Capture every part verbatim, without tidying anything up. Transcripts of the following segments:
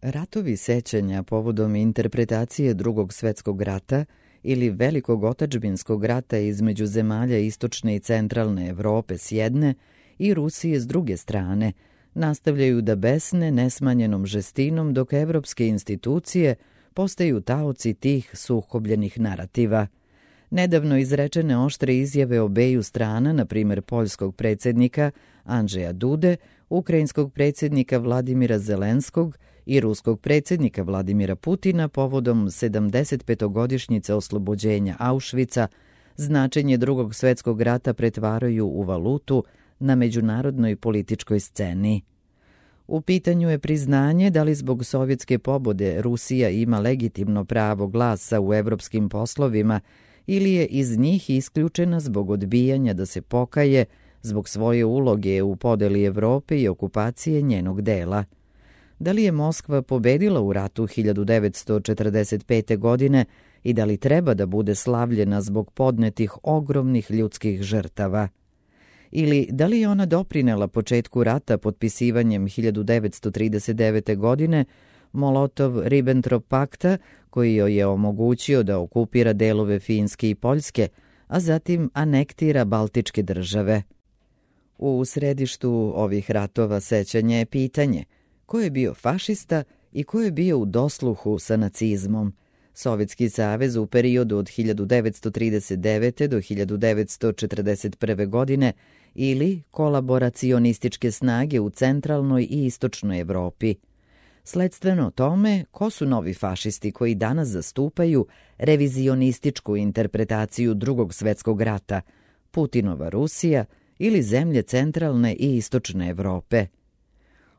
Ratovi sećanja povodom interpretacije Drugog svetskog rata ili Velikog otadžbinskog rata između zemalja istočne i centralne Evrope s jedne i Rusije s druge strane nastavljaju da besne nesmanjenom žestinom dok evropske institucije postaju taoci tih sukobljenih narativa. Nedavno izrečene oštre izjave obeju strana, na primjer poljskog predsjednika Andžeja Dude, ukrajinskog predsjednika Vladimira Zelenskog i ruskog predsjednika Vladimira Putina povodom sedamdesetpetogodišnjice oslobođenja Auschwitza, značenje Drugog svetskog rata pretvaraju u valutu na međunarodnoj političkoj sceni. U pitanju je priznanje da li zbog sovjetske pobode Rusija ima legitimno pravo glasa u evropskim poslovima ili je iz njih isključena zbog odbijanja da se pokaje zbog svoje uloge u podeli Evrope i okupacije njenog dela. Da li je Moskva pobedila u ratu hiljadu devetsto četrdeset pete. godine i da li treba da bude slavljena zbog podnetih ogromnih ljudskih žrtava? Ili da li je ona doprinela početku rata potpisivanjem hiljadu devetsto trideset devete. godine Molotov-Ribbentrop pakta koji joj je omogućio da okupira delove Finske i Poljske, a zatim anektira Baltičke države? U središtu ovih ratova sećanja je pitanje ko je bio fašista i ko je bio u dosluhu sa nacizmom. Sovjetski savez u periodu od hiljadu devetsto trideset devete. do hiljadu devetsto četrdeset prve. godine ili kolaboracionističke snage u centralnoj i istočnoj Evropi. Sledstveno tome, ko su novi fašisti koji danas zastupaju revizionističku interpretaciju Drugog svetskog rata, Putinova Rusija ili zemlje centralne i istočne Evrope?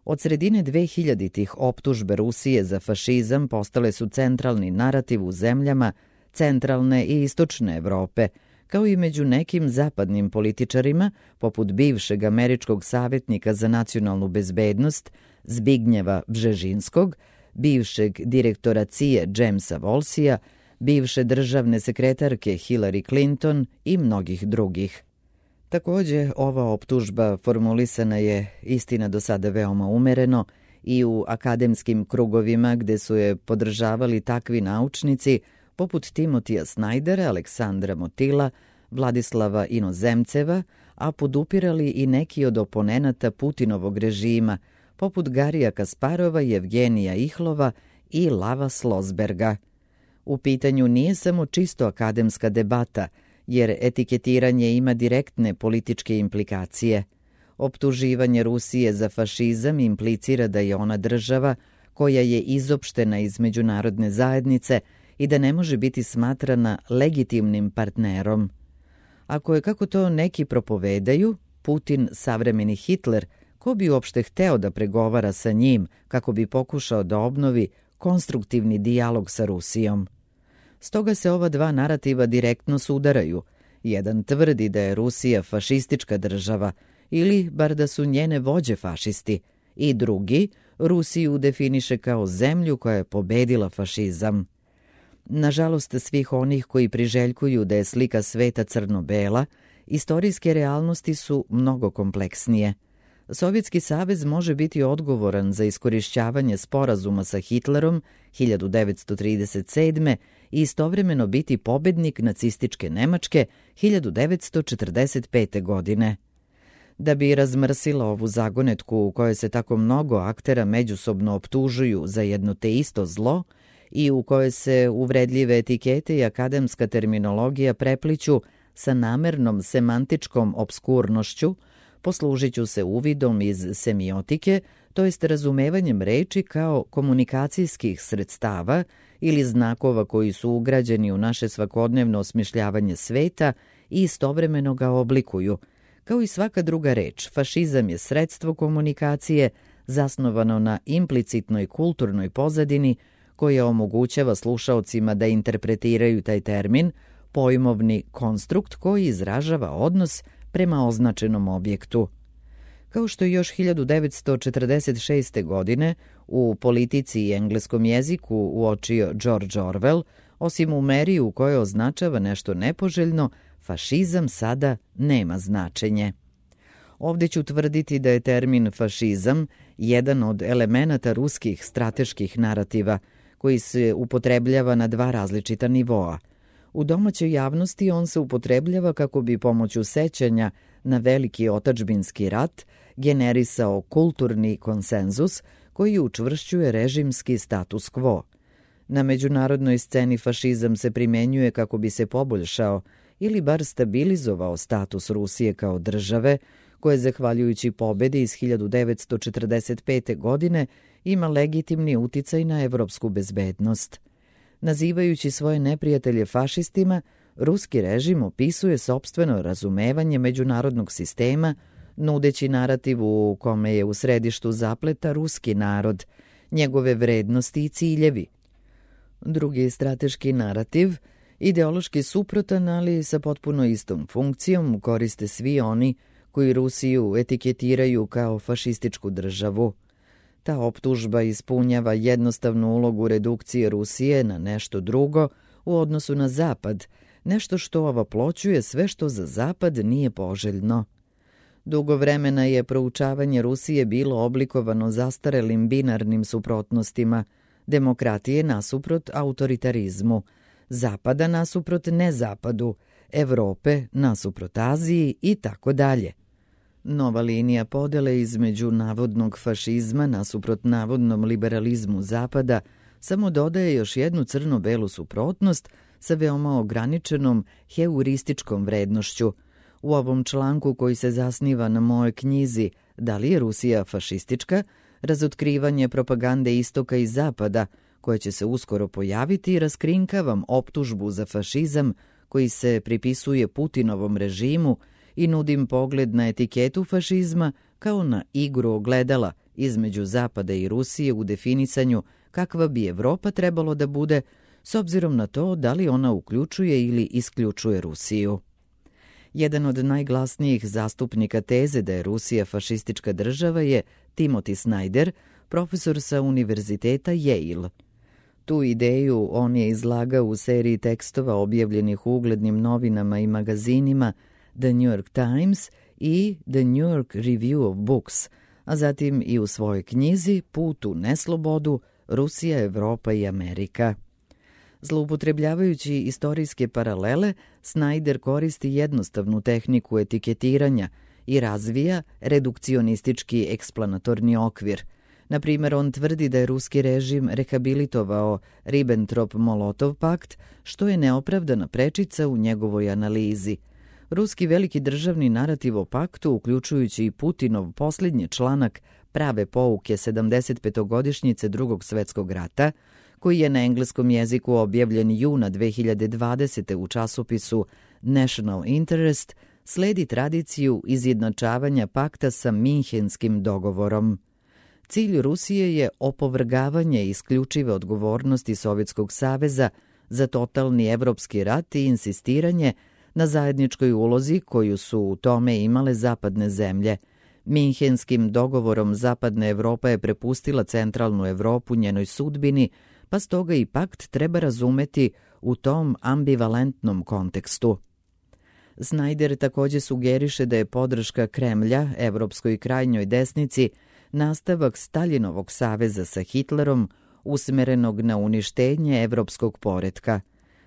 Od sredine dvehiljaditih optužbe Rusije za fašizam postale su centralni narativ u zemljama centralne i istočne Evrope, kao i među nekim zapadnim političarima, poput bivšeg američkog savjetnika za nacionalnu bezbednost Zbignjeva Bžežinskog, bivšeg direktora C I A Jamesa Wolsija, bivše državne sekretarke Hillary Clinton i mnogih drugih. Također, ova optužba formulisana je, istina, do sada veoma umereno i u akademskim krugovima gde su je podržavali takvi naučnici poput Timotija Snajdera, Aleksandra Motila, Vladislava Inozemceva, a podupirali i neki od oponenata Putinovog režima, poput Garija Kasparova, Jevgenija Ihlova i Lava Slosberga. U pitanju nije samo čisto akademska debata, jer etiketiranje ima direktne političke implikacije. Optuživanje Rusije za fašizam implicira da je ona država koja je izopštena iz međunarodne zajednice i da ne može biti smatrana legitimnim partnerom. Ako je, kako to neki propovedaju, Putin savremeni Hitler, ko bi uopšte hteo da pregovara sa njim kako bi pokušao da obnovi konstruktivni dijalog sa Rusijom? Stoga se ova dva narativa direktno sudaraju. Jedan tvrdi da je Rusija fašistička država ili bar da su njene vođe fašisti i drugi Rusiju definiše kao zemlju koja je pobedila fašizam. Nažalost, svih onih koji priželjkuju da je slika sveta crno-bela, istorijske realnosti su mnogo kompleksnije. Sovjetski savez može biti odgovoran za iskorišćavanje sporazuma sa Hitlerom hiljadu devetsto trideset sedme. i istovremeno biti pobednik nacističke Nemačke hiljadu devetsto četrdeset pete. godine. Da bi razmrsila ovu zagonetku u kojoj se tako mnogo aktera međusobno optužuju za jedno te isto zlo i u kojoj se uvredljive etikete i akademska terminologija prepliću sa namernom semantičkom obskurnošću, poslužit ću se uvidom iz semiotike, to jest razumevanjem reči kao komunikacijskih sredstava ili znakova koji su ugrađeni u naše svakodnevno osmišljavanje sveta i istovremeno ga oblikuju. Kao i svaka druga reč, fašizam je sredstvo komunikacije zasnovano na implicitnoj kulturnoj pozadini koja omogućava slušaocima da interpretiraju taj termin, pojmovni konstrukt koji izražava odnos prema označenom objektu. Kao što je još hiljadu devetsto četrdeset šeste. godine u Politici i engleskom jeziku uočio George Orwell, osim u meri u kojoj označava nešto nepoželjno, fašizam sada nema značenje. Ovdje ću tvrditi da je termin fašizam jedan od elemenata ruskih strateških narativa koji se upotrebljava na dva različita nivoa. U domaćoj javnosti on se upotrebljava kako bi pomoću sećanja na veliki otadžbinski rat generisao kulturni konsenzus koji učvršćuje režimski status quo. Na međunarodnoj sceni fašizam se primjenjuje kako bi se poboljšao ili bar stabilizovao status Rusije kao države, koje zahvaljujući pobedi iz hiljadu devetsto četrdeset pete. godine ima legitimni uticaj na evropsku bezbednost. Nazivajući svoje neprijatelje fašistima, ruski režim opisuje sopstveno razumevanje međunarodnog sistema, nudeći narativ u kome je u središtu zapleta ruski narod, njegove vrednosti i ciljevi. Drugi strateški narativ, ideološki suprotan, ali sa potpuno istom funkcijom, koriste svi oni koji Rusiju etiketiraju kao fašističku državu. Ta optužba ispunjava jednostavnu ulogu redukcije Rusije na nešto drugo u odnosu na Zapad, nešto što ovaploćuje sve što za Zapad nije poželjno. Dugo vremena je proučavanje Rusije bilo oblikovano zastarelim binarnim suprotnostima, demokratije nasuprot autoritarizmu, Zapada nasuprot nezapadu, Evrope nasuprot Aziji i tako dalje. Nova linija podele između navodnog fašizma nasuprot navodnom liberalizmu Zapada samo dodaje još jednu crno-belu suprotnost sa veoma ograničenom heurističkom vrednošću. U ovom članku koji se zasniva na mojoj knjizi Da li je Rusija fašistička, razotkrivanje propagande istoka i zapada, koje će se uskoro pojaviti, raskrinkavam optužbu za fašizam koji se pripisuje Putinovom režimu i nudim pogled na etiketu fašizma kao na igru ogledala između Zapada i Rusije u definisanju kakva bi Evropa trebalo da bude s obzirom na to da li ona uključuje ili isključuje Rusiju. Jedan od najglasnijih zastupnika teze da je Rusija fašistička država je Timothy Snyder, profesor sa univerziteta Yale. Tu ideju on je izlagao u seriji tekstova objavljenih u uglednim novinama i magazinima The New York Times i The New York Review of Books, a zatim i u svojoj knjizi Put u neslobodu, Rusija, Evropa i Amerika. Zloupotrebljavajući istorijske paralele, Snyder koristi jednostavnu tehniku etiketiranja i razvija redukcionistički eksplanatorni okvir. Na primjer, on tvrdi da je ruski režim rehabilitovao Ribbentrop-Molotov pakt, što je neopravdana prečica u njegovoj analizi. Ruski veliki državni narativ o paktu, uključujući i Putinov posljednji članak Prave pouke sedamdesetpetogodišnjice Drugog svjetskog rata, koji je na engleskom jeziku objavljen juna dve hiljade dvadesete. u časopisu National Interest, sledi tradiciju izjednačavanja pakta sa Minhenskim dogovorom. Cilj Rusije je opovrgavanje isključive odgovornosti Sovjetskog saveza za totalni evropski rat i insistiranje na zajedničkoj ulozi koju su u tome imale zapadne zemlje. Minhenskim dogovorom zapadna Evropa je prepustila centralnu Evropu njenoj sudbini, pa stoga i pakt treba razumeti u tom ambivalentnom kontekstu. Snyder također sugeriše da je podrška Kremlja evropskoj krajnjoj desnici nastavak Staljinovog saveza sa Hitlerom, usmerenog na uništenje evropskog poretka.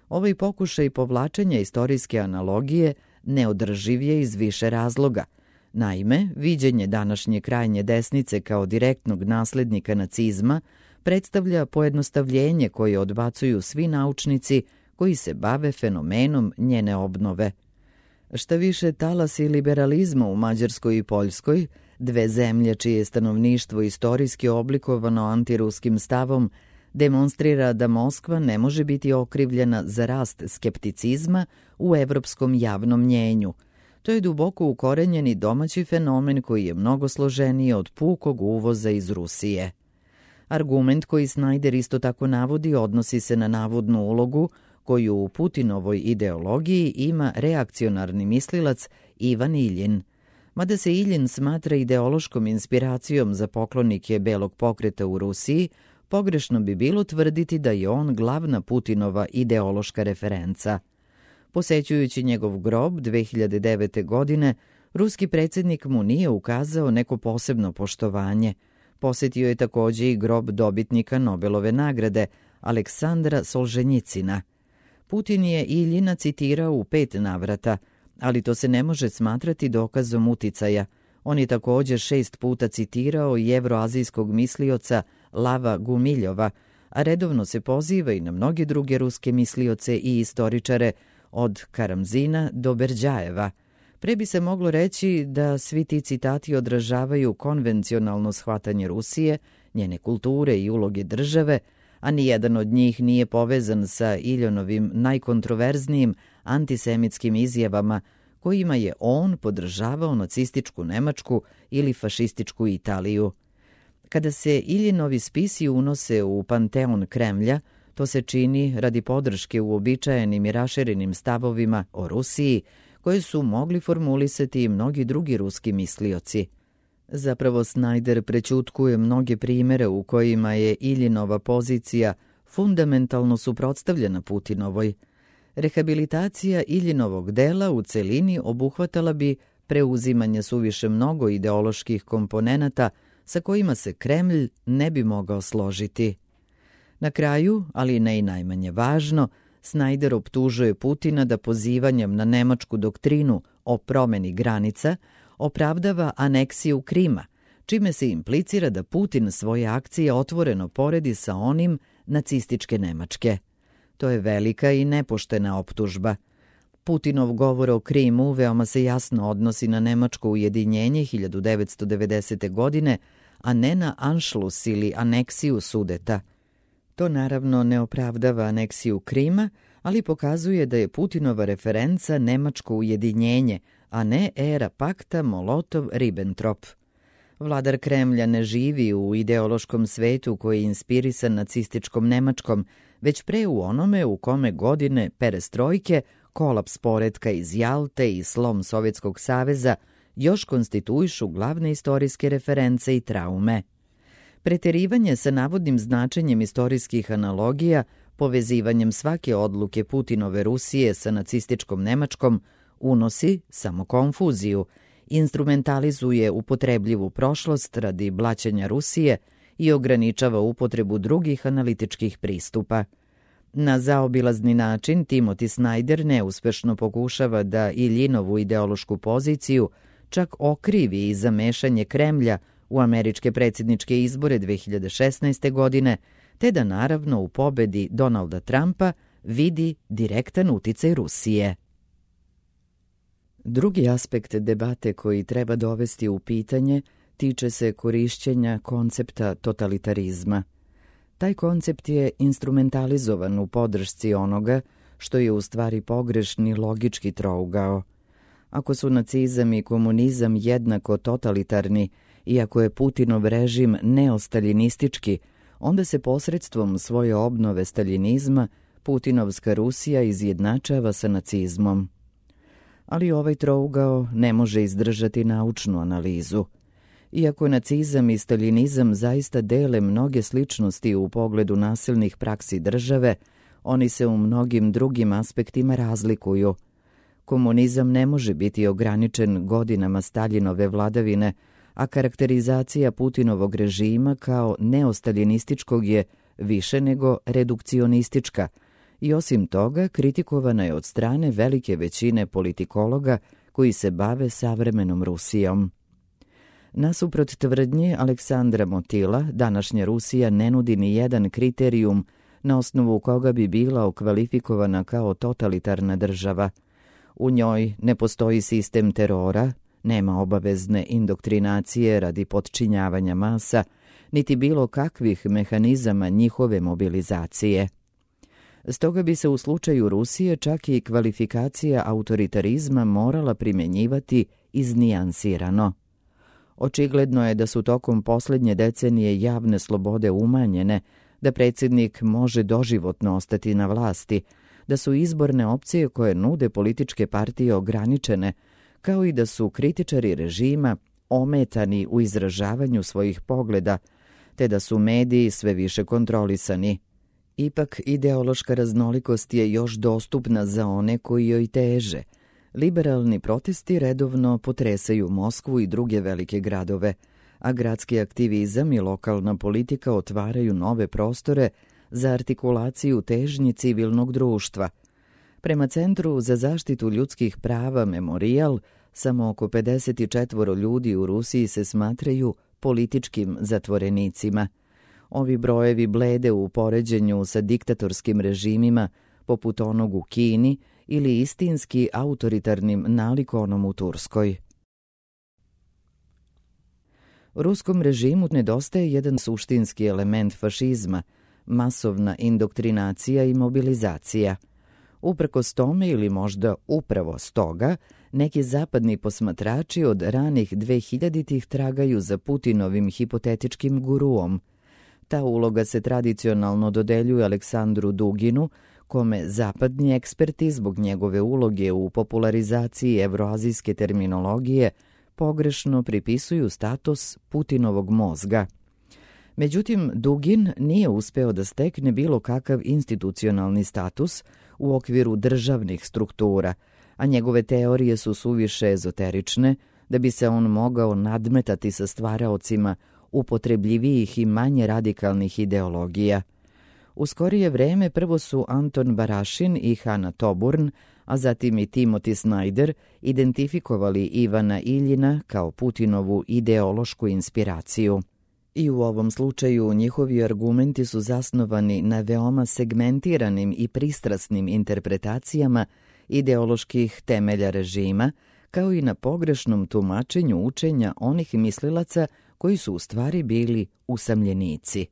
Ovaj pokušaj povlačenja istorijske analogije neodrživ je iz više razloga. Naime, viđenje današnje krajnje desnice kao direktnog naslednika nacizma predstavlja pojednostavljenje koje odbacuju svi naučnici koji se bave fenomenom njene obnove. Šta više, talasi liberalizma u Mađarskoj i Poljskoj, dve zemlje čije je stanovništvo istorijski oblikovano antiruskim stavom, demonstrira da Moskva ne može biti okrivljena za rast skepticizma u evropskom javnom mnjenju. To je duboko ukorenjeni domaći fenomen koji je mnogo složeniji od pukog uvoza iz Rusije. Argument koji Snyder isto tako navodi odnosi se na navodnu ulogu koju u Putinovoj ideologiji ima reakcionarni mislilac Ivan Iljin. Mada se Iljin smatra ideološkom inspiracijom za poklonike Belog pokreta u Rusiji, pogrešno bi bilo tvrditi da je on glavna Putinova ideološka referenca. Posećujući njegov grob dve hiljade devete. godine, Ruski predsjednik mu nije ukazao neko posebno poštovanje. Posjetio je također i grob dobitnika Nobelove nagrade, Aleksandra Solženjicina. Putin je Iljina citirao u pet navrata, ali to se ne može smatrati dokazom uticaja. On je također šest puta citirao i evroazijskog mislioca Lava Gumiljova, a redovno se poziva i na mnoge druge ruske mislioce i istoričare, od Karamzina do Berdjajeva. Pre bi se moglo reći da svi ti citati odražavaju konvencionalno shvatanje Rusije, njene kulture i uloge države, a nijedan od njih nije povezan sa Iljonovim najkontroverznijim antisemitskim izjavama kojima je on podržavao nacističku Nemačku ili fašističku Italiju. Kada se Iljinovi spisi unose u panteon Kremlja, to se čini radi podrške uobičajenim i raširenim stavovima o Rusiji, koje su mogli formulisati i mnogi drugi ruski mislioci. Zapravo Snyder prećutkuje mnoge primere u kojima je Iljinova pozicija fundamentalno suprotstavljena Putinovoj. Rehabilitacija Iljinovog dela u celini obuhvatala bi preuzimanje suviše mnogo ideoloških komponenata sa kojima se Kremlj ne bi mogao složiti. Na kraju, ali ne i najmanje važno, Snyder optužuje Putina da pozivanjem na nemačku doktrinu o promeni granica opravdava aneksiju Krima, čime se implicira da Putin svoje akcije otvoreno poredi sa onim nacističke Nemačke. To je velika i nepoštena optužba. Putinov govor o Krimu veoma se jasno odnosi na nemačko ujedinjenje hiljadu devetsto devedesete. godine, a ne na Anšlus ili aneksiju Sudeta. To naravno ne opravdava aneksiju Krima, ali pokazuje da je Putinova referenca nemačko ujedinjenje, a ne era pakta Molotov-Ribbentrop. Vladar Kremlja ne živi u ideološkom svetu koji je inspirisan nacističkom Nemačkom, već pre u onome u kome godine perestrojke, kolaps poretka iz Jalte i slom Sovjetskog saveza još konstituišu glavne istorijske reference i traume. Preterivanje sa navodnim značenjem istorijskih analogija, povezivanjem svake odluke Putinove Rusije sa nacističkom Nemačkom, unosi samo konfuziju, instrumentalizuje upotrebljivu prošlost radi blaćenja Rusije i ograničava upotrebu drugih analitičkih pristupa. Na zaobilazni način Timothy Snyder neuspešno pokušava da Iljinovu ideološku poziciju čak okrivi i zamešanje Kremlja u američke predsjedničke izbore dve hiljade šesnaeste. godine, te da naravno u pobedi Donalda Trumpa vidi direktan uticaj Rusije. Drugi aspekt debate koji treba dovesti u pitanje tiče se korišćenja koncepta totalitarizma. Taj koncept je instrumentalizovan u podršci onoga što je u stvari pogrešni logički trougao. Ako su nacizam i komunizam jednako totalitarni, iako je Putinov režim neostaljinistički, onda se posredstvom svoje obnove staljinizma Putinovska Rusija izjednačava sa nacizmom. Ali ovaj trougao ne može izdržati naučnu analizu. Iako nacizam i staljinizam zaista dele mnoge sličnosti u pogledu nasilnih praksi države, oni se u mnogim drugim aspektima razlikuju. Komunizam ne može biti ograničen godinama Staljinove vladavine, a karakterizacija Putinovog režima kao neostaljinističkog je više nego redukcionistička i osim toga kritikovana je od strane velike većine politikologa koji se bave savremenom Rusijom. Nasuprot tvrdnje Aleksandra Motila, današnja Rusija ne nudi ni jedan kriterijum na osnovu koga bi bila okvalifikovana kao totalitarna država. U njoj ne postoji sistem terora, nema obavezne indoktrinacije radi potčinjavanja masa, niti bilo kakvih mehanizama njihove mobilizacije. Stoga bi se u slučaju Rusije čak i kvalifikacija autoritarizma morala primjenjivati iznijansirano. Očigledno je da su tokom posljednje decenije javne slobode umanjene, da predsjednik može doživotno ostati na vlasti, da su izborne opcije koje nude političke partije ograničene, kao i da su kritičari režima ometani u izražavanju svojih pogleda, te da su mediji sve više kontrolisani. Ipak ideološka raznolikost je još dostupna za one koji joj teže. Liberalni protesti redovno potresaju Moskvu i druge velike gradove, a gradski aktivizam i lokalna politika otvaraju nove prostore za artikulaciju težnji civilnog društva. Prema Centru za zaštitu ljudskih prava Memorijal, samo oko pedeset četiri ljudi u Rusiji se smatraju političkim zatvorenicima. Ovi brojevi blede u poređenju sa diktatorskim režimima poput onog u Kini ili istinski autoritarnim nalikonom u Turskoj. Ruskom režimu nedostaje jedan suštinski element fašizma, masovna indoktrinacija i mobilizacija. Uprkos tome ili možda upravo stoga, neki zapadni posmatrači od ranih dvehiljaditih tragaju za Putinovim hipotetičkim guruom. Ta uloga se tradicionalno dodeljuje Aleksandru Duginu, kome zapadni eksperti zbog njegove uloge u popularizaciji evroazijske terminologije pogrešno pripisuju status Putinovog mozga. Međutim, Dugin nije uspeo da stekne bilo kakav institucionalni status u okviru državnih struktura, a njegove teorije su suviše ezoterične da bi se on mogao nadmetati sa stvaraocima upotrebljivijih i manje radikalnih ideologija. U skorije vreme prvo su Anton Barašin i Hana Toburn, a zatim i Timothy Snyder identifikovali Ivana Iljina kao Putinovu ideološku inspiraciju. I u ovom slučaju njihovi argumenti su zasnovani na veoma segmentiranim i pristrasnim interpretacijama ideoloških temelja režima, kao i na pogrešnom tumačenju učenja onih mislilaca koji su u stvari bili usamljenici.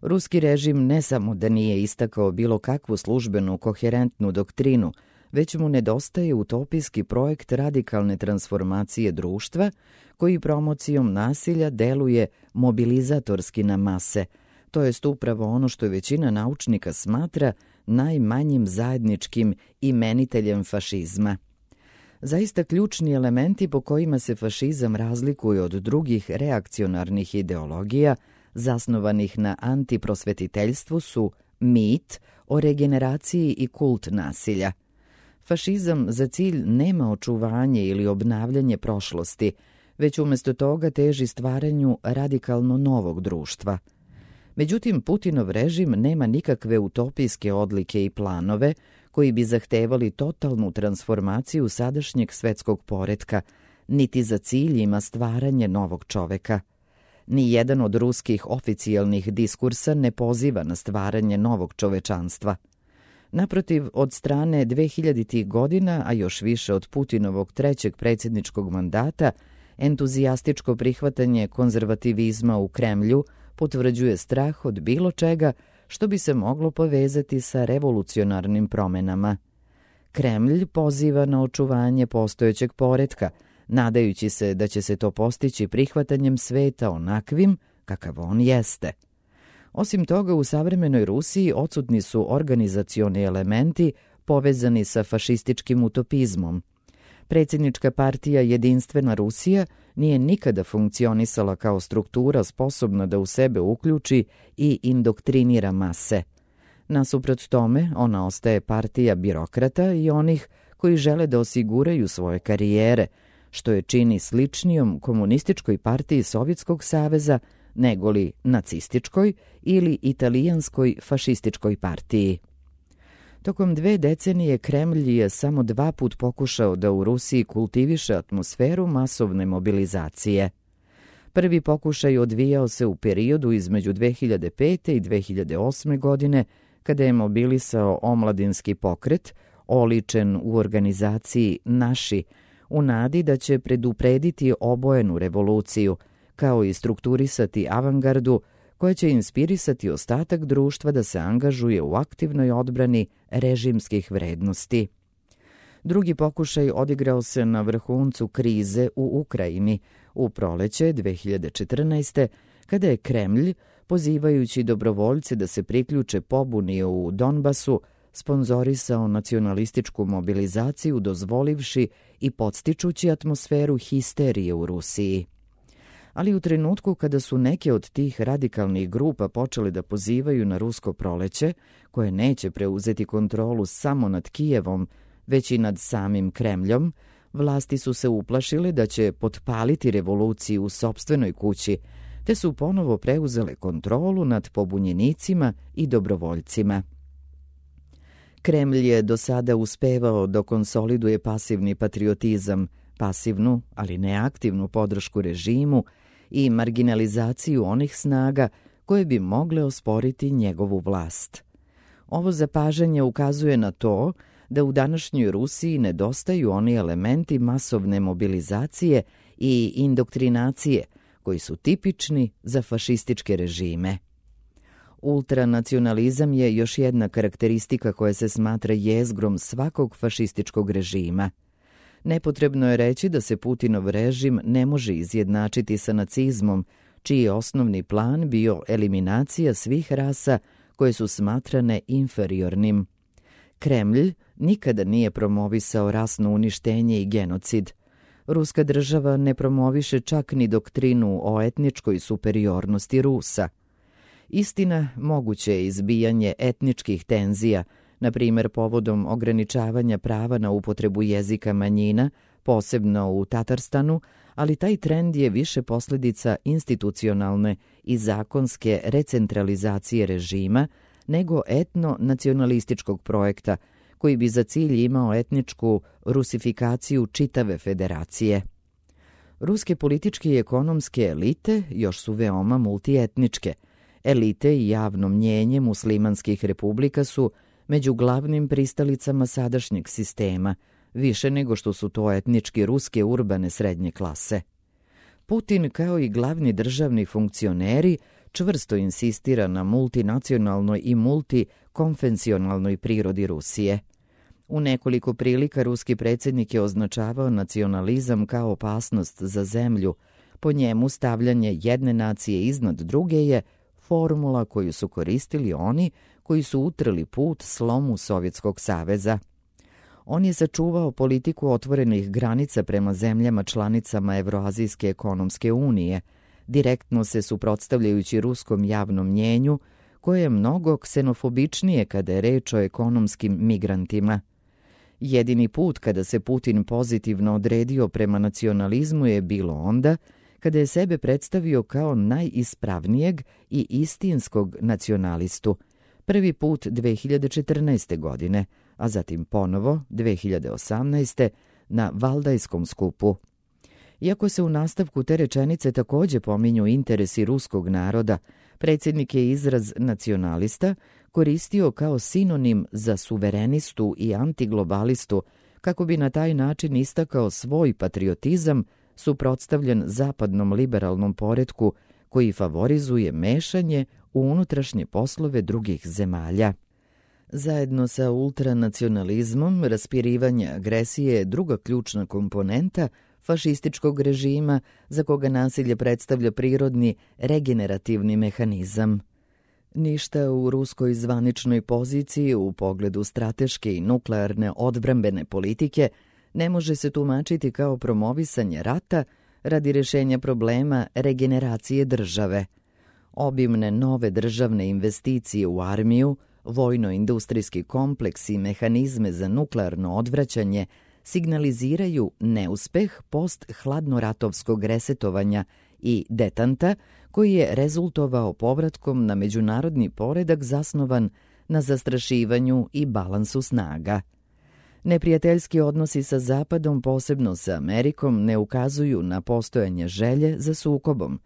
Ruski režim ne samo da nije istakao bilo kakvu službenu koherentnu doktrinu, već mu nedostaje utopijski projekt radikalne transformacije društva koji promocijom nasilja deluje mobilizatorski na mase, to jest upravo ono što većina naučnika smatra najmanjim zajedničkim imeniteljem fašizma. Zaista ključni elementi po kojima se fašizam razlikuje od drugih reakcionarnih ideologija zasnovanih na antiprosvetiteljstvu su mit o regeneraciji i kult nasilja. Fašizam za cilj nema očuvanje ili obnavljanje prošlosti, već umjesto toga teži stvaranju radikalno novog društva. Međutim, Putinov režim nema nikakve utopijske odlike i planove koji bi zahtevali totalnu transformaciju sadašnjeg svetskog poretka, niti za cilj ima stvaranje novog čoveka. Ni jedan od ruskih oficijalnih diskursa ne poziva na stvaranje novog čovečanstva. Naprotiv, od strane dvehiljaditih godina, a još više od Putinovog trećeg predsjedničkog mandata, entuzijastičko prihvatanje konzervativizma u Kremlju potvrđuje strah od bilo čega što bi se moglo povezati sa revolucionarnim promenama. Kremlj poziva na očuvanje postojećeg poretka, nadajući se da će se to postići prihvatanjem sveta onakvim kakav on jeste. Osim toga, u savremenoj Rusiji odsutni su organizacioni elementi povezani sa fašističkim utopizmom. Predsjednička partija Jedinstvena Rusija nije nikada funkcionisala kao struktura sposobna da u sebe uključi i indoktrinira mase. Nasuprot tome, ona ostaje partija birokrata i onih koji žele da osiguraju svoje karijere, što je čini sličnijom komunističkoj partiji Sovjetskog saveza negoli nacističkoj ili italijanskoj fašističkoj partiji. Tokom dve decenije Kremlj je samo dva put pokušao da u Rusiji kultiviše atmosferu masovne mobilizacije. Prvi pokušaj odvijao se u periodu između dve hiljade pete i dve hiljade osme godine, kada je mobilisao omladinski pokret, oličen u organizaciji Naši, u nadi da će preduprediti obojenu revoluciju, kao i strukturisati avangardu koja će inspirisati ostatak društva da se angažuje u aktivnoj odbrani režimskih vrednosti. Drugi pokušaj odigrao se na vrhuncu krize u Ukrajini u proleće dve hiljade četrnaeste. kada je Kremlj, pozivajući dobrovoljce da se priključe pobuni u Donbasu, sponzorisao nacionalističku mobilizaciju dozvolivši i podstičući atmosferu histerije u Rusiji. Ali u trenutku kada su neke od tih radikalnih grupa počeli da pozivaju na rusko proleće, koje neće preuzeti kontrolu samo nad Kijevom, već i nad samim Kremljom, vlasti su se uplašile da će potpaliti revoluciju u sopstvenoj kući, te su ponovo preuzele kontrolu nad pobunjenicima i dobrovoljcima. Kremlj je do sada uspevao da konsoliduje pasivni patriotizam, pasivnu, ali ne aktivnu podršku režimu i marginalizaciju onih snaga koje bi mogle osporiti njegovu vlast. Ovo zapažanje ukazuje na to da u današnjoj Rusiji nedostaju oni elementi masovne mobilizacije i indoktrinacije koji su tipični za fašističke režime. Ultranacionalizam je još jedna karakteristika koja se smatra jezgrom svakog fašističkog režima. Nepotrebno je reći da se Putinov režim ne može izjednačiti sa nacizmom, čiji je osnovni plan bio eliminacija svih rasa koje su smatrane inferiornim. Kremlj nikada nije promovisao rasno uništenje i genocid. Ruska država ne promoviše čak ni doktrinu o etničkoj superiornosti Rusa. Istina, moguće je izbijanje etničkih tenzija, na primjer povodom ograničavanja prava na upotrebu jezika manjina, posebno u Tatarstanu, ali taj trend je više posljedica institucionalne i zakonske recentralizacije režima nego etno-nacionalističkog projekta koji bi za cilj imao etničku rusifikaciju čitave federacije. Ruske političke i ekonomske elite još su veoma multietničke. Elite i javno mnjenje muslimanskih republika su među glavnim pristalicama sadašnjeg sistema, više nego što su to etnički ruske urbane srednje klase. Putin, kao i glavni državni funkcioneri, čvrsto insistira na multinacionalnoj i multikonfensionalnoj prirodi Rusije. U nekoliko prilika ruski predsjednik je označavao nacionalizam kao opasnost za zemlju. Po njemu stavljanje jedne nacije iznad druge je formula koju su koristili oni koji su utrli put slomu Sovjetskog saveza. On je sačuvao politiku otvorenih granica prema zemljama članicama Evroazijske ekonomske unije, direktno se suprotstavljajući ruskom javnom mnjenju, koje je mnogo ksenofobičnije kada je reč o ekonomskim migrantima. Jedini put kada se Putin pozitivno odredio prema nacionalizmu je bilo onda kada je sebe predstavio kao najispravnijeg i istinskog nacionalistu, prvi put dve hiljade četrnaeste. godine, a zatim ponovo dve hiljade osamnaeste. na Valdajskom skupu. Iako se u nastavku te rečenice također pominju interesi ruskog naroda, predsjednik je izraz nacionalista koristio kao sinonim za suverenistu i antiglobalistu, kako bi na taj način istakao svoj patriotizam suprotstavljen zapadnom liberalnom poretku koji favorizuje mešanje u unutrašnje poslove drugih zemalja. Zajedno sa ultranacionalizmom, raspirivanje agresije je druga ključna komponenta fašističkog režima za koga nasilje predstavlja prirodni regenerativni mehanizam. Ništa u ruskoj zvaničnoj poziciji u pogledu strateške i nuklearne odbrambene politike ne može se tumačiti kao promovisanje rata radi rješenja problema regeneracije države. Obimne nove državne investicije u armiju, vojno-industrijski kompleks i mehanizme za nuklearno odvraćanje signaliziraju neuspeh post-hladnoratovskog resetovanja i detanta koji je rezultovao povratkom na međunarodni poredak zasnovan na zastrašivanju i balansu snaga. Neprijateljski odnosi sa Zapadom, posebno sa Amerikom, ne ukazuju na postojanje želje za sukobom.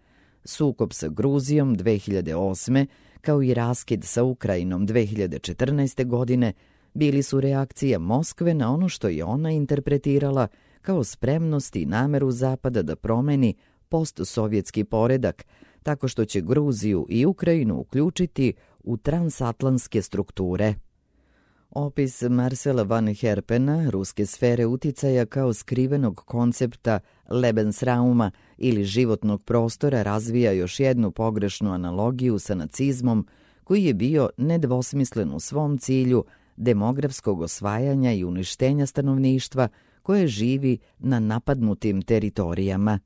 Sukob sa Gruzijom dve hiljade osme kao i raskid sa Ukrajinom dve hiljade četrnaeste. godine bili su reakcija Moskve na ono što je ona interpretirala kao spremnost i nameru Zapada da promeni postsovjetski poredak, tako što će Gruziju i Ukrajinu uključiti u transatlantske strukture. Opis Marcela van Herpena, ruske sfere uticaja kao skrivenog koncepta Lebensrauma ili životnog prostora, razvija još jednu pogrešnu analogiju sa nacizmom koji je bio nedvosmislen u svom cilju demografskog osvajanja i uništenja stanovništva koje živi na napadnutim teritorijama.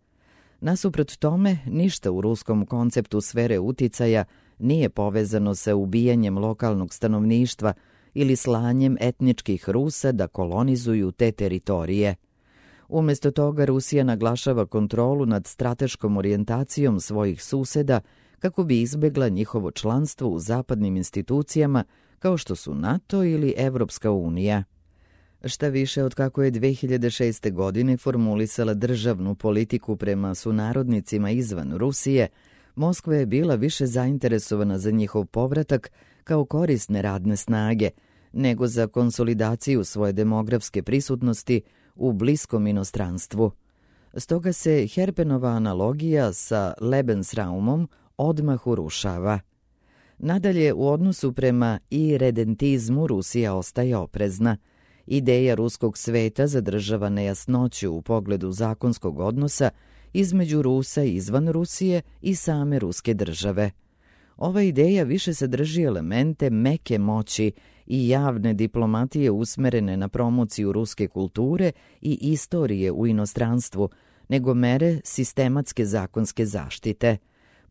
Nasuprot tome, ništa u ruskom konceptu sfere uticaja nije povezano sa ubijanjem lokalnog stanovništva, ili slanjem etničkih Rusa da kolonizuju te teritorije. Umjesto toga Rusija naglašava kontrolu nad strateškom orijentacijom svojih suseda kako bi izbjegla njihovo članstvo u zapadnim institucijama kao što su NATO ili Evropska unija. Šta više, od kako je dve hiljade šeste. godine formulisala državnu politiku prema sunarodnicima izvan Rusije, Moskva je bila više zainteresovana za njihov povratak kao korisne radne snage, nego za konsolidaciju svoje demografske prisutnosti u bliskom inostranstvu. Stoga se Herpenova analogija sa Lebensraumom odmah urušava. Nadalje, u odnosu prema iredentizmu Rusija ostaje oprezna. Ideja ruskog sveta zadržava nejasnoću u pogledu zakonskog odnosa između Rusa izvan Rusije i same ruske države. Ova ideja više sadrži elemente meke moći i javne diplomatije usmerene na promociju ruske kulture i istorije u inostranstvu, nego mere sistematske zakonske zaštite.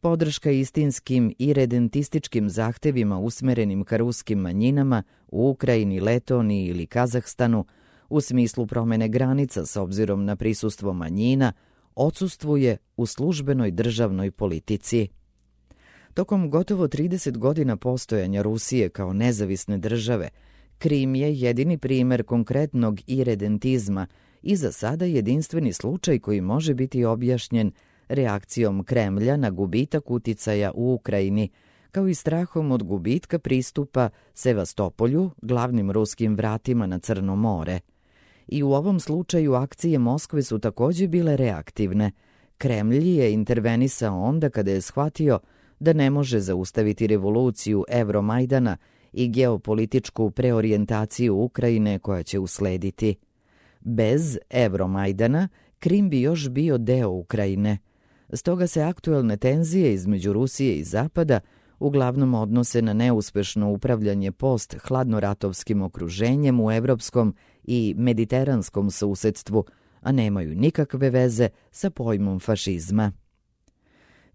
Podrška istinskim i redentističkim zahtevima usmerenim ka ruskim manjinama u Ukrajini, Letoniji ili Kazahstanu u smislu promene granica s obzirom na prisustvo manjina odsustvuje u službenoj državnoj politici. Tokom gotovo trideset godina postojanja Rusije kao nezavisne države, Krim je jedini primer konkretnog iredentizma i za sada jedinstveni slučaj koji može biti objašnjen reakcijom Kremlja na gubitak uticaja u Ukrajini, kao i strahom od gubitka pristupa Sevastopolju, glavnim ruskim vratima na Crno more. I u ovom slučaju akcije Moskve su također bile reaktivne. Kremlj je intervenisao onda kada je shvatio da ne može zaustaviti revoluciju Evromajdana i geopolitičku preorijentaciju Ukrajine koja će uslediti. Bez Evromajdana Krim bi još bio deo Ukrajine. Stoga se aktuelne tenzije između Rusije i Zapada uglavnom odnose na neuspešno upravljanje post-hladnoratovskim okruženjem u evropskom i mediteranskom susedstvu, a nemaju nikakve veze sa pojmom fašizma.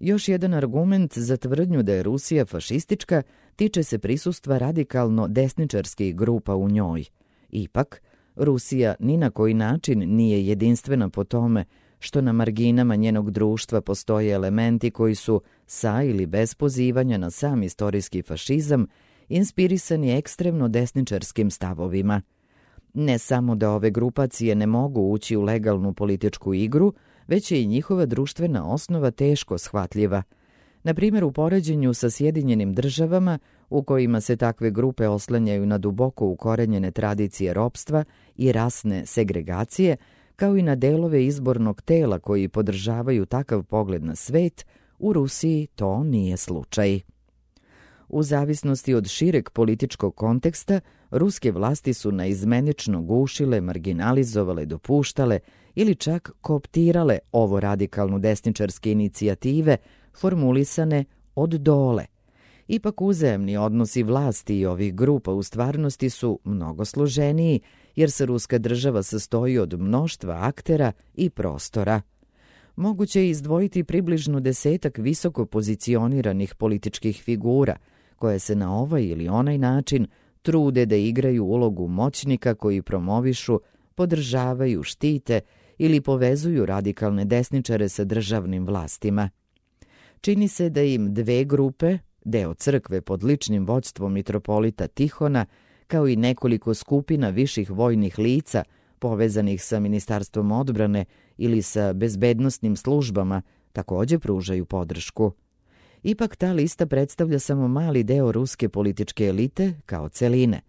Još jedan argument za tvrdnju da je Rusija fašistička tiče se prisustva radikalno desničarskih grupa u njoj. Ipak, Rusija ni na koji način nije jedinstvena po tome što na marginama njenog društva postoje elementi koji su, sa ili bez pozivanja na sam istorijski fašizam, inspirisani ekstremno desničarskim stavovima. Ne samo da ove grupacije ne mogu ući u legalnu političku igru, već je i njihova društvena osnova teško shvatljiva. Na primjer, u poređenju sa Sjedinjenim državama, u kojima se takve grupe oslanjaju na duboko ukorenjene tradicije ropstva i rasne segregacije, kao i na delove izbornog tela koji podržavaju takav pogled na svet, u Rusiji to nije slučaj. U zavisnosti od šireg političkog konteksta, ruske vlasti su naizmenično gušile, marginalizovale, dopuštale ili čak kooptirale ovo radikalno desničarske inicijative formulisane od dole. Ipak uzajamni odnosi vlasti i ovih grupa u stvarnosti su mnogo složeniji, jer se ruska država sastoji od mnoštva aktera i prostora. Moguće je izdvojiti približno desetak visoko pozicioniranih političkih figura, koje se na ovaj ili onaj način trude da igraju ulogu moćnika koji promovišu, podržavaju, štite ili povezuju radikalne desničare sa državnim vlastima. Čini se da im dve grupe, deo crkve pod ličnim vođstvom mitropolita Tihona, kao i nekoliko skupina viših vojnih lica povezanih sa Ministarstvom odbrane ili sa bezbednosnim službama, također pružaju podršku. Ipak ta lista predstavlja samo mali deo ruske političke elite kao celine.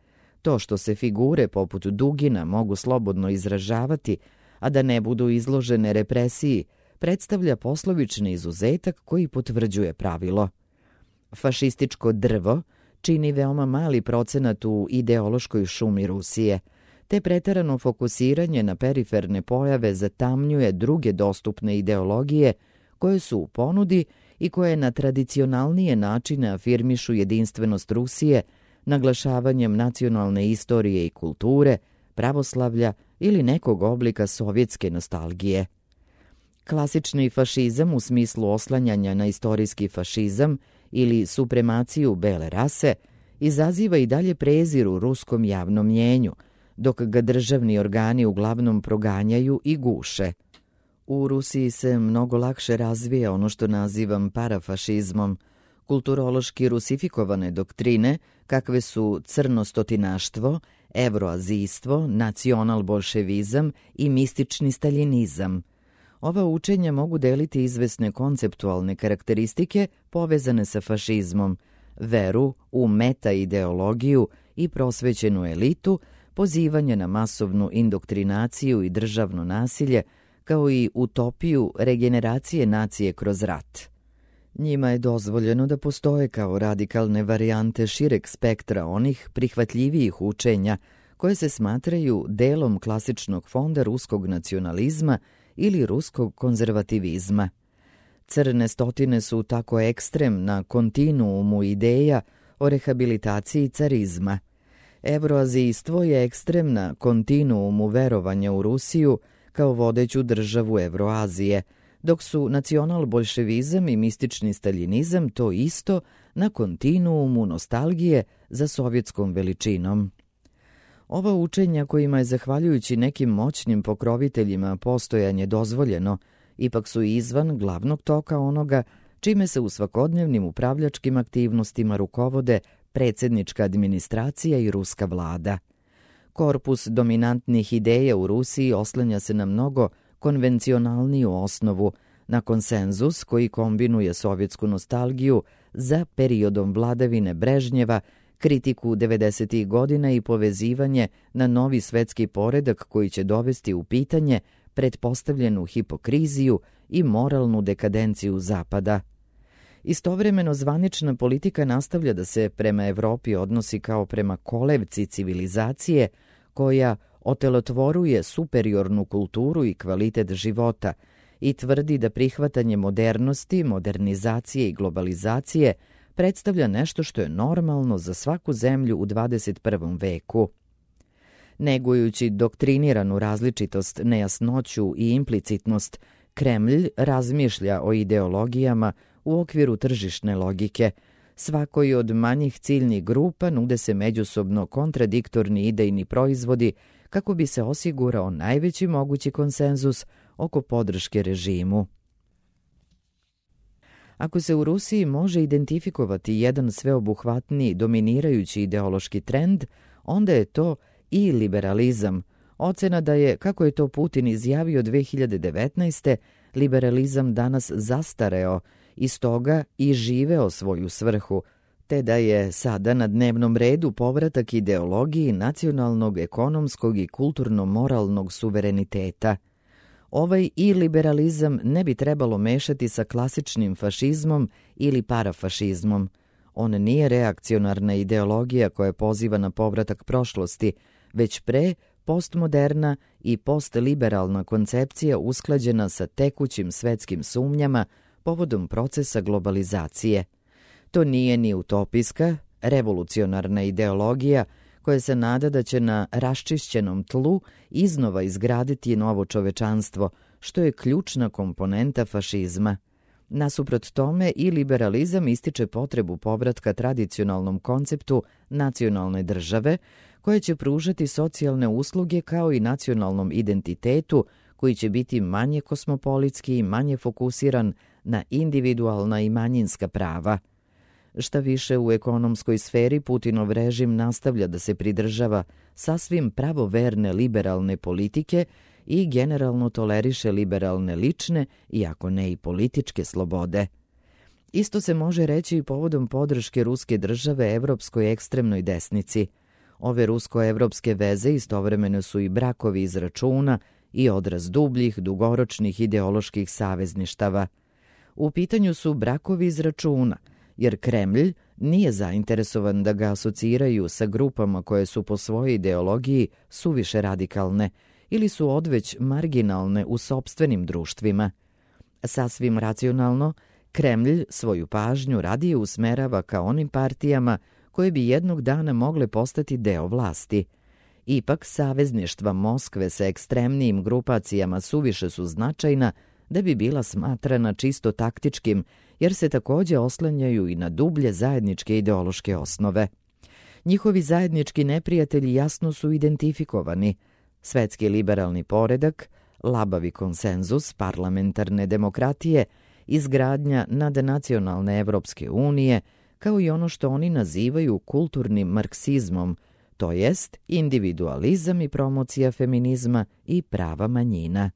To što se figure poput Dugina mogu slobodno izražavati, a da ne budu izložene represiji, predstavlja poslovični izuzetak koji potvrđuje pravilo. Fašističko drvo čini veoma mali procenat u ideološkoj šumi Rusije, te preterano fokusiranje na periferne pojave zatamnjuje druge dostupne ideologije koje su u ponudi i koje na tradicionalnije načine afirmišu jedinstvenost Rusije naglašavanjem nacionalne istorije i kulture, pravoslavlja ili nekog oblika sovjetske nostalgije. Klasični fašizam u smislu oslanjanja na istorijski fašizam ili supremaciju bele rase izaziva i dalje prezir u ruskom javnom mnjenju, dok ga državni organi uglavnom proganjaju i guše. U Rusiji se mnogo lakše razvija ono što nazivam parafašizmom, kulturološki rusifikovane doktrine kakve su crnostotinaštvo, evroazijstvo, nacional-bolševizam i mistični staljinizam. Ova učenja mogu deliti izvesne konceptualne karakteristike povezane sa fašizmom, veru u meta-ideologiju i prosvećenu elitu, pozivanje na masovnu indoktrinaciju i državno nasilje, kao i utopiju regeneracije nacije kroz rat. Njima je dozvoljeno da postoje kao radikalne varijante šireg spektra onih prihvatljivijih učenja koje se smatraju delom klasičnog fonda ruskog nacionalizma ili ruskog konzervativizma. Crne stotine su tako ekstrem na kontinuumu ideja o rehabilitaciji carizma. Evroazijstvo je ekstrem na kontinuumu verovanja u Rusiju kao vodeću državu Evroazije, dok su nacional-bolševizam i mistični staljinizam to isto na kontinuumu nostalgije za sovjetskom veličinom. Ova učenja kojima je zahvaljujući nekim moćnim pokroviteljima postojanje dozvoljeno, ipak su izvan glavnog toka onoga čime se u svakodnevnim upravljačkim aktivnostima rukovode predsjednička administracija i ruska vlada. Korpus dominantnih ideja u Rusiji oslanja se na mnogo konvencionalniju osnovu, na konsenzus koji kombinuje sovjetsku nostalgiju za periodom vladavine Brežnjeva, kritiku devedesetih godina i povezivanje na novi svetski poredak koji će dovesti u pitanje pretpostavljenu hipokriziju i moralnu dekadenciju Zapada. Istovremeno zvanična politika nastavlja da se prema Evropi odnosi kao prema kolevci civilizacije koja otelotvoruje superiornu kulturu i kvalitet života i tvrdi da prihvatanje modernosti, modernizacije i globalizacije predstavlja nešto što je normalno za svaku zemlju u dvadeset prvom veku. Negujući doktriniranu različitost, nejasnoću i implicitnost, Kremlj razmišlja o ideologijama u okviru tržišne logike. Svakoj od manjih ciljnih grupa nude se međusobno kontradiktorni idejni proizvodi kako bi se osigurao najveći mogući konsenzus oko podrške režimu. Ako se u Rusiji može identifikovati jedan sveobuhvatni dominirajući ideološki trend, onda je to i liberalizam. Ocena da je, kako je to Putin izjavio dve hiljade devetnaeste. liberalizam danas zastareo i stoga i živeo svoju svrhu, te da je sada na dnevnom redu povratak ideologiji nacionalnog, ekonomskog i kulturno-moralnog suvereniteta. Ovaj i liberalizam ne bi trebalo mešati sa klasičnim fašizmom ili parafašizmom. On nije reakcionarna ideologija koja poziva na povratak prošlosti, već pre postmoderna i postliberalna koncepcija usklađena sa tekućim svetskim sumnjama povodom procesa globalizacije. To nije ni utopijska, revolucionarna ideologija koja se nada da će na raščišćenom tlu iznova izgraditi novo čovečanstvo, što je ključna komponenta fašizma. Nasuprot tome i liberalizam ističe potrebu povratka tradicionalnom konceptu nacionalne države, koja će pružati socijalne usluge kao i nacionalnom identitetu koji će biti manje kosmopolitski i manje fokusiran na individualna i manjinska prava. Šta više, u ekonomskoj sferi Putinov režim nastavlja da se pridržava sasvim pravoverne liberalne politike i generalno toleriše liberalne lične, iako ne i političke slobode. Isto se može reći i povodom podrške ruske države evropskoj ekstremnoj desnici. Ove rusko-evropske veze istovremeno su i brakovi iz računa i odraz dubljih, dugoročnih ideoloških savezništava. U pitanju su brakovi iz računa, jer Kremlj nije zainteresovan da ga asociraju sa grupama koje su po svojoj ideologiji suviše radikalne ili su odveć marginalne u sopstvenim društvima. Sasvim racionalno, Kremlj svoju pažnju radije usmerava ka onim partijama koje bi jednog dana mogle postati deo vlasti. Ipak, savezništva Moskve sa ekstremnijim grupacijama suviše su značajna da bi bila smatrana čisto taktičkim, jer se također oslanjaju i na dublje zajedničke ideološke osnove. Njihovi zajednički neprijatelji jasno su identifikovani: svetski liberalni poredak, labavi konsenzus parlamentarne demokratije, izgradnja nadnacionalne Evropske unije, kao i ono što oni nazivaju kulturnim marksizmom, to jest individualizam i promocija feminizma i prava manjina.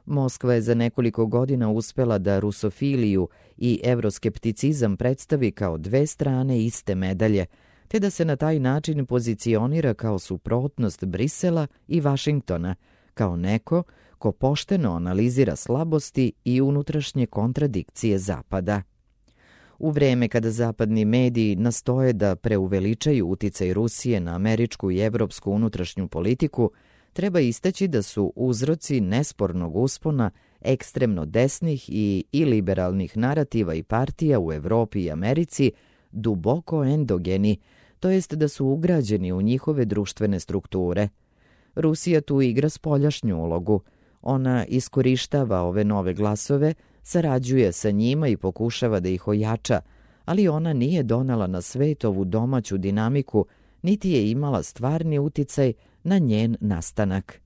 Moskva je za nekoliko godina uspela da rusofiliju i evroskepticizam predstavi kao dve strane iste medalje, te da se na taj način pozicionira kao suprotnost Brisela i Vašingtona, kao neko ko pošteno analizira slabosti i unutrašnje kontradikcije Zapada. U vreme kada zapadni mediji nastoje da preuveličaju uticaj Rusije na američku i evropsku unutrašnju politiku, treba istaći da su uzroci nespornog uspona ekstremno desnih i iliberalnih narativa i partija u Evropi i Americi duboko endogeni, to jest da su ugrađeni u njihove društvene strukture. Rusija tu igra spoljašnju ulogu. Ona iskorištava ove nove glasove, sarađuje sa njima i pokušava da ih ojača, ali ona nije donela na svet ovu domaću dinamiku, niti je imala stvarni uticaj na njen nastanak.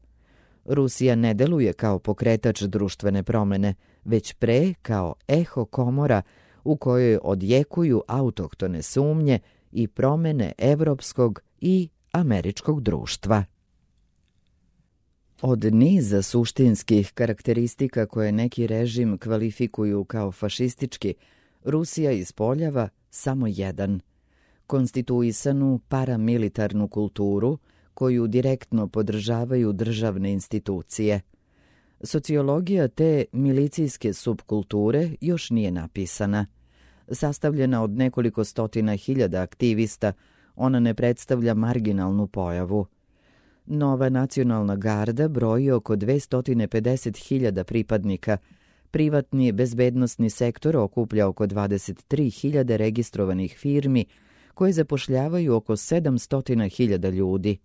Rusija ne deluje kao pokretač društvene promene, već pre kao eho komora u kojoj odjekuju autohtone sumnje i promene evropskog i američkog društva. Od niza suštinskih karakteristika koje neki režim kvalifikuju kao fašistički, Rusija ispoljava samo jedan: konstituisanu paramilitarnu kulturu koju direktno podržavaju državne institucije. Sociologija te milicijske subkulture još nije napisana. Sastavljena od nekoliko stotina hiljada aktivista, ona ne predstavlja marginalnu pojavu. Nova nacionalna garda broji oko dvesta pedeset hiljada pripadnika. Privatni bezbednosni sektor okuplja oko dvadeset tri hiljade registrovanih firmi koje zapošljavaju oko sedamsto hiljada ljudi.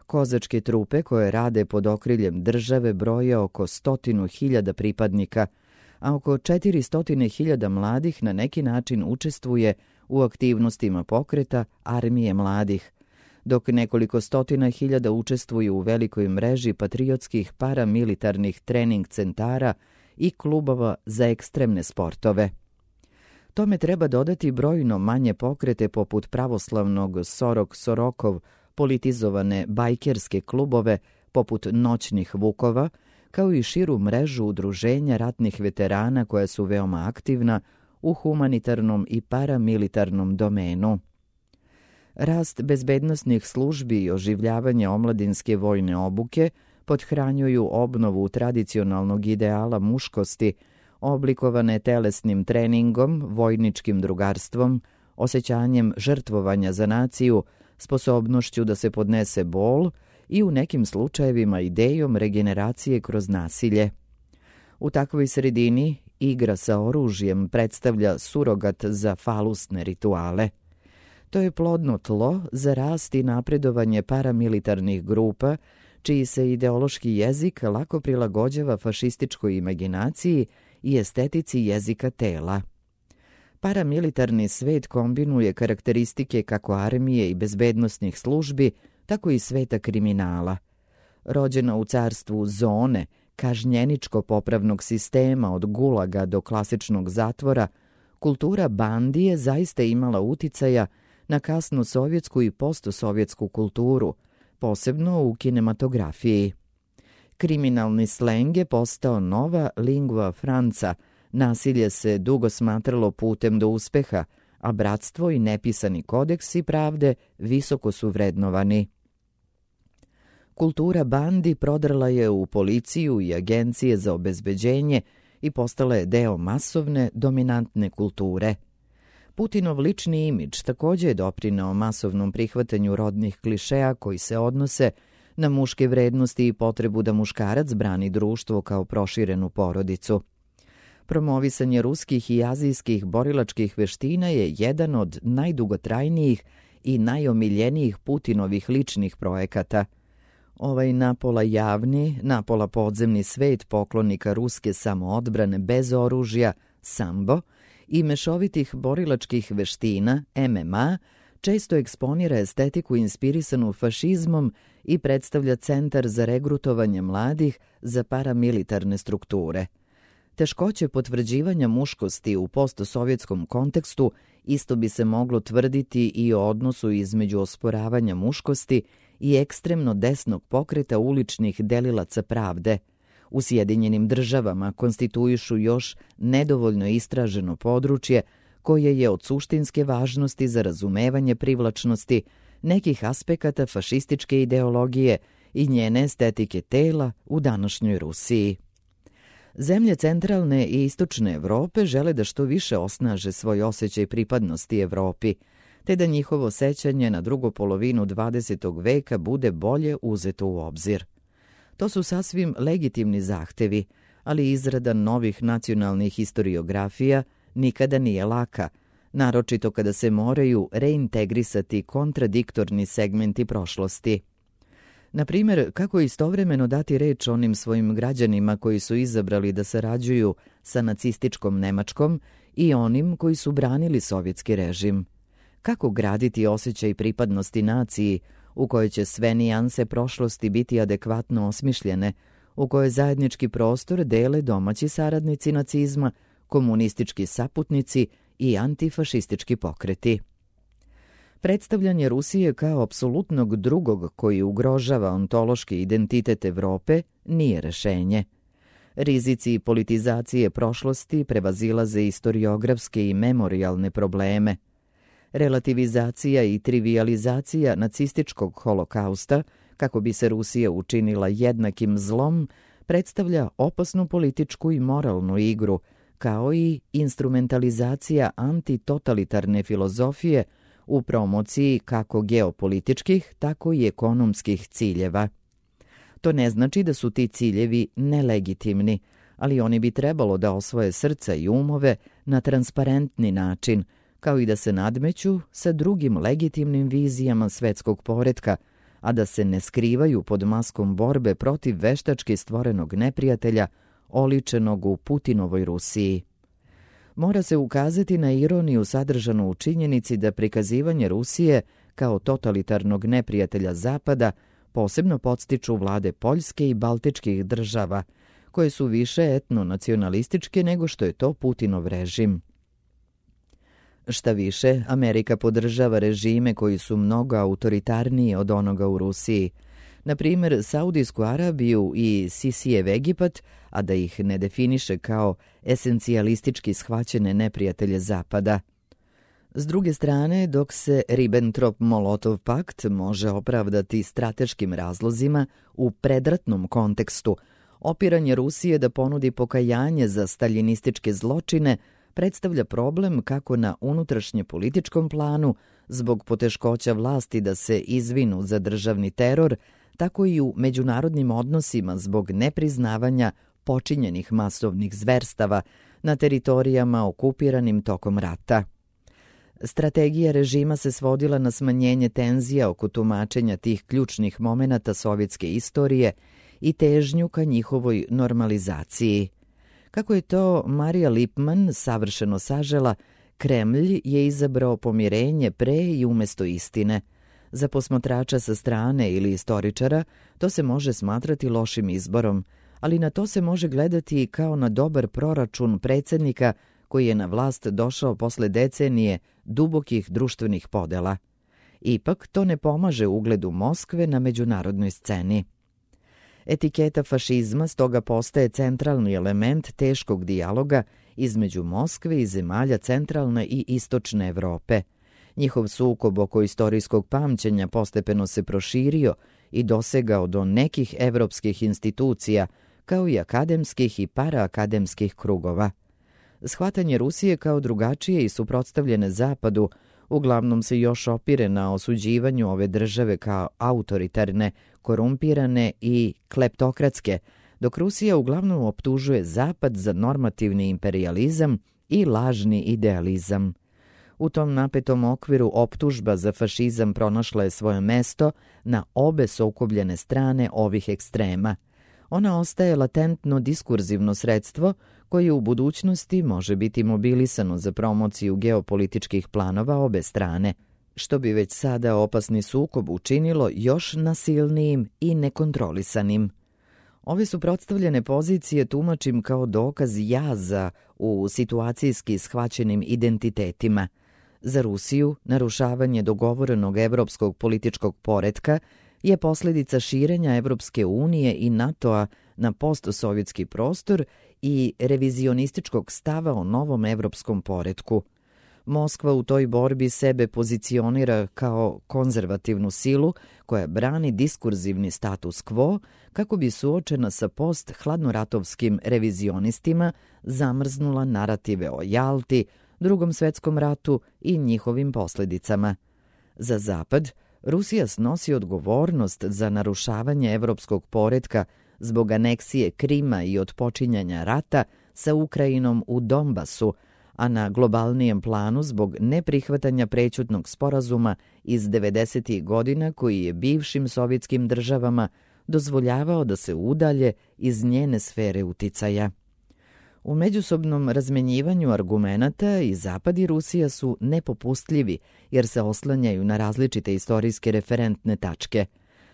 Kozačke trupe koje rade pod okriljem države broje oko stotinu hiljada pripadnika, a oko četiristo hiljada mladih na neki način učestvuje u aktivnostima pokreta Armije mladih, dok nekoliko stotina hiljada učestvuju u velikoj mreži patriotskih paramilitarnih trening centara i klubova za ekstremne sportove. Tome treba dodati brojno manje pokrete poput pravoslavnog Sorok Sorokov, politizovane bajkerske klubove poput Noćnih Vukova, kao i širu mrežu udruženja ratnih veterana koja su veoma aktivna u humanitarnom i paramilitarnom domenu. Rast bezbednosnih službi i oživljavanje omladinske vojne obuke pothranjuju obnovu tradicionalnog ideala muškosti, oblikovane telesnim treningom, vojničkim drugarstvom, osjećanjem žrtvovanja za naciju, sposobnošću da se podnese bol i u nekim slučajevima idejom regeneracije kroz nasilje. U takvoj sredini igra sa oružjem predstavlja surogat za falusne rituale. To je plodno tlo za rast i napredovanje paramilitarnih grupa, čiji se ideološki jezik lako prilagođava fašističkoj imaginaciji i estetici jezika tela. Paramilitarni svet kombinuje karakteristike kako armije i bezbednosnih službi, tako i sveta kriminala. Rođena u carstvu zone, kažnjeničko-popravnog sistema od gulaga do klasičnog zatvora, kultura bandi je zaista imala uticaja na kasnu sovjetsku i postsovjetsku kulturu, posebno u kinematografiji. Kriminalni sleng je postao nova lingua franca, nasilje se dugo smatralo putem do uspeha, a bratstvo i nepisani kodeksi pravde visoko su vrednovani. Kultura bandi prodrla je u policiju i agencije za obezbeđenje i postala je deo masovne, dominantne kulture. Putinov lični imidž također je doprineo masovnom prihvatanju rodnih klišeja koji se odnose na muške vrednosti i potrebu da muškarac brani društvo kao proširenu porodicu. Promovisanje ruskih i azijskih borilačkih veština je jedan od najdugotrajnijih i najomiljenijih Putinovih ličnih projekata. Ovaj napola javni, napola podzemni svet poklonika ruske samoodbrane bez oružja, sambo, i mešovitih borilačkih veština, M M A, često eksponira estetiku inspirisanu fašizmom i predstavlja centar za regrutovanje mladih za paramilitarne strukture. Teškoće potvrđivanja muškosti u postsovjetskom kontekstu isto bi se moglo tvrditi i o odnosu između osporavanja muškosti i ekstremno desnog pokreta uličnih delilaca pravde. U Sjedinjenim državama konstituišu još nedovoljno istraženo područje koje je od suštinske važnosti za razumevanje privlačnosti nekih aspekata fašističke ideologije i njene estetike tela u današnjoj Rusiji. Zemlje centralne i istočne Evrope žele da što više osnaže svoj osjećaj pripadnosti Evropi, te da njihovo sećanje na drugu polovinu dvadesetog veka bude bolje uzeto u obzir. To su sasvim legitimni zahtevi, ali izrada novih nacionalnih historiografija nikada nije laka, naročito kada se moraju reintegrisati kontradiktorni segmenti prošlosti. Na primjer, kako istovremeno dati reč onim svojim građanima koji su izabrali da sarađuju sa nacističkom Nemačkom i onim koji su branili sovjetski režim? Kako graditi osjećaj pripadnosti naciji u kojoj će sve nijanse prošlosti biti adekvatno osmišljene, u kojoj zajednički prostor dele domaći saradnici nacizma, komunistički saputnici i antifašistički pokreti? Predstavljanje Rusije kao apsolutnog drugog koji ugrožava ontološki identitet Evrope nije rešenje. Rizici politizacije prošlosti prevazilaze istoriografske i memorijalne probleme. Relativizacija i trivijalizacija nacističkog holokausta, kako bi se Rusija učinila jednakim zlom, predstavlja opasnu političku i moralnu igru, kao i instrumentalizacija antitotalitarne filozofije u promociji kako geopolitičkih, tako i ekonomskih ciljeva. To ne znači da su ti ciljevi nelegitimni, ali oni bi trebalo da osvoje srca i umove na transparentni način, kao i da se nadmeću sa drugim legitimnim vizijama svetskog poretka, a da se ne skrivaju pod maskom borbe protiv veštački stvorenog neprijatelja, oličenog u Putinovoj Rusiji. Mora se ukazati na ironiju sadržanu u činjenici da prikazivanje Rusije kao totalitarnog neprijatelja Zapada posebno podstiču vlade Poljske i Baltičkih država, koje su više etno-nacionalističke nego što je to Putinov režim. Šta više, Amerika podržava režime koji su mnogo autoritarniji od onoga u Rusiji, na primjer Saudijsku Arabiju i Sisijev Egipat, a da ih ne definiše kao esencijalistički shvaćene neprijatelje Zapada. S druge strane, dok se Ribbentrop-Molotov pakt može opravdati strateškim razlozima u predratnom kontekstu, opiranje Rusije da ponudi pokajanje za staljinističke zločine predstavlja problem kako na unutrašnje političkom planu, zbog poteškoća vlasti da se izvinu za državni teror, tako i u međunarodnim odnosima zbog nepriznavanja počinjenih masovnih zverstava na teritorijama okupiranim tokom rata. Strategija režima se svodila na smanjenje tenzija oko tumačenja tih ključnih momenata sovjetske istorije i težnju ka njihovoj normalizaciji. Kako je to Marija Lipman savršeno sažela, Kremlj je izabrao pomirenje pre i umesto istine. Za posmatrača sa strane ili istoričara to se može smatrati lošim izborom, ali na to se može gledati kao na dobar proračun predsjednika koji je na vlast došao posle decenije dubokih društvenih podela. Ipak to ne pomaže ugledu Moskve na međunarodnoj sceni. Etiketa fašizma stoga postaje centralni element teškog dijaloga između Moskve i zemalja centralne i istočne Evrope. Njihov sukob oko istorijskog pamćenja postepeno se proširio i dosegao do nekih evropskih institucija, kao i akademskih i paraakademskih krugova. Shvatanje Rusije kao drugačije i suprotstavljene Zapadu uglavnom se još opire na osuđivanju ove države kao autoritarne, korumpirane i kleptokratske, dok Rusija uglavnom optužuje Zapad za normativni imperijalizam i lažni idealizam. U tom napetom okviru optužba za fašizam pronašla je svoje mesto na obe sukobljene strane ovih ekstrema. Ona ostaje latentno diskurzivno sredstvo koje u budućnosti može biti mobilisano za promociju geopolitičkih planova obe strane. što bi već sada opasni sukob učinilo još nasilnijim i nekontrolisanim. Ove suprotstavljene pozicije tumačim kao dokaz jaza u situacijski shvaćenim identitetima. Za Rusiju, narušavanje dogovorenog evropskog političkog poretka je posljedica širenja Evropske unije i NATO-a na postsovjetski prostor i revizionističkog stava o novom evropskom poretku. Moskva u toj borbi sebe pozicionira kao konzervativnu silu koja brani diskurzivni status quo kako bi suočena sa post-hladnoratovskim revizionistima zamrznula narative o Jalti, Drugom svetskom ratu i njihovim posljedicama. Za Zapad, Rusija snosi odgovornost za narušavanje evropskog poretka zbog aneksije Krima i otpočinjanja rata sa Ukrajinom u Donbasu, a na globalnijem planu zbog neprihvatanja prećutnog sporazuma iz devedesetih godina koji je bivšim sovjetskim državama dozvoljavao da se udalje iz njene sfere uticaja. U međusobnom razmenjivanju argumenata i Zapad i Rusija su nepopustljivi jer se oslanjaju na različite istorijske referentne tačke.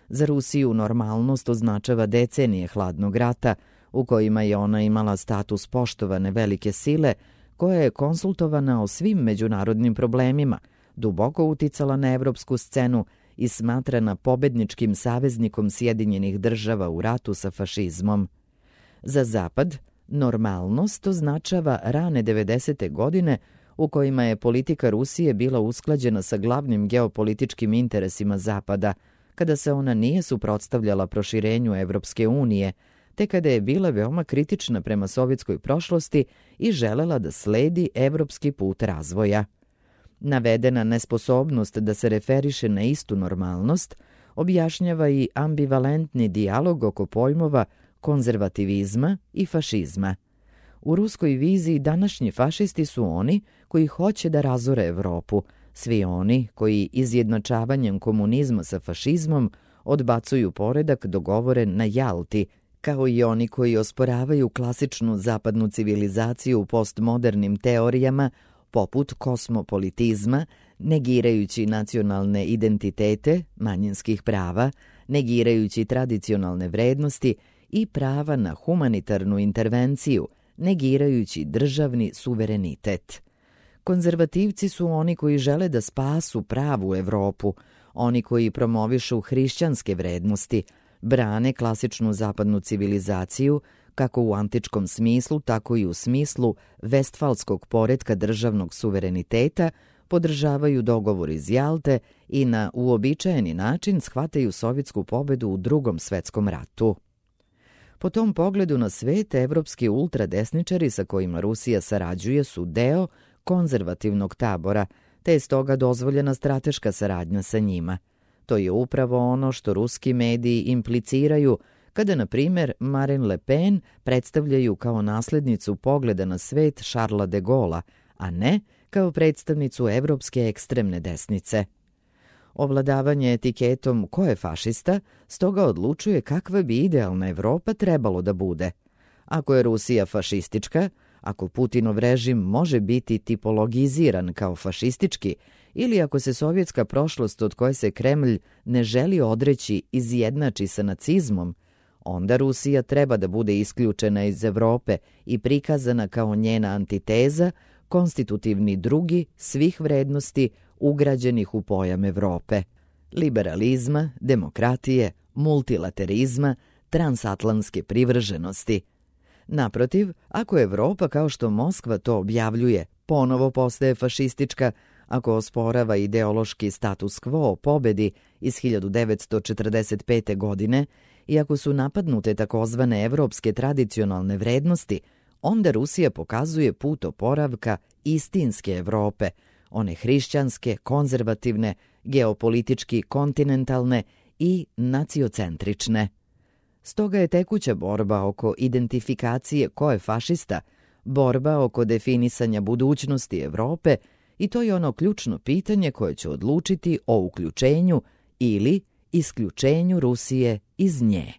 Za Rusiju normalnost označava decenije hladnog rata u kojima je ona imala status poštovane velike sile koja je konsultovana o svim međunarodnim problemima, duboko uticala na evropsku scenu i smatrana pobedničkim saveznikom Sjedinjenih država u ratu sa fašizmom. Za Zapad, normalnost označava rane devedesete godine u kojima je politika Rusije bila usklađena sa glavnim geopolitičkim interesima Zapada, kada se ona nije suprotstavljala proširenju Evropske unije, te kada je bila veoma kritična prema sovjetskoj prošlosti i želela da sledi evropski put razvoja. Navedena nesposobnost da se referiše na istu normalnost objašnjava i ambivalentni dijalog oko pojmova konzervativizma i fašizma. U ruskoj viziji današnji fašisti su oni koji hoće da razore Evropu, svi oni koji izjednačavanjem komunizma sa fašizmom odbacuju poredak dogovoren na Jalti, kao i oni koji osporavaju klasičnu zapadnu civilizaciju u postmodernim teorijama poput kosmopolitizma, negirajući nacionalne identitete, manjinskih prava, negirajući tradicionalne vrednosti i prava na humanitarnu intervenciju, negirajući državni suverenitet. Konzervativci su oni koji žele da spasu pravu Evropu, oni koji promovišu hrišćanske vrednosti, brane klasičnu zapadnu civilizaciju, kako u antičkom smislu, tako i u smislu vestfalskog poretka državnog suvereniteta, podržavaju dogovor iz Jalte i na uobičajeni način shvataju sovjetsku pobedu u Drugom svetskom ratu. Po tom pogledu na svet, evropski ultradesničari sa kojima Rusija sarađuje su deo konzervativnog tabora, te je stoga dozvoljena strateška saradnja sa njima. To je upravo ono što ruski mediji impliciraju kada, na primjer, Marine Le Pen predstavljaju kao naslednicu pogleda na svet Šarla de Gola, a ne kao predstavnicu evropske ekstremne desnice. Ovladavanje etiketom ko je fašista stoga odlučuje kakva bi idealna Evropa trebalo da bude. Ako je Rusija fašistička, ako Putinov režim može biti tipologiziran kao fašistički ili ako se sovjetska prošlost od koje se Kremlj ne želi odreći izjednači sa nacizmom, onda Rusija treba da bude isključena iz Evrope i prikazana kao njena antiteza, konstitutivni drugi svih vrednosti ugrađenih u pojam Evrope, liberalizma, demokratije, multilaterizma, transatlantske privrženosti. Naprotiv, ako Evropa, kao što Moskva to objavljuje, ponovo postaje fašistička, ako osporava ideološki status quo o pobedi iz hiljadu devetsto četrdeset pete. godine i ako su napadnute takozvane evropske tradicionalne vrednosti, onda Rusija pokazuje put oporavka istinske Evrope, one hrišćanske, konzervativne, geopolitički kontinentalne i naciocentrične. Stoga je tekuća borba oko identifikacije ko je fašista, borba oko definisanja budućnosti Evrope i to je ono ključno pitanje koje će odlučiti o uključenju ili isključenju Rusije iz nje.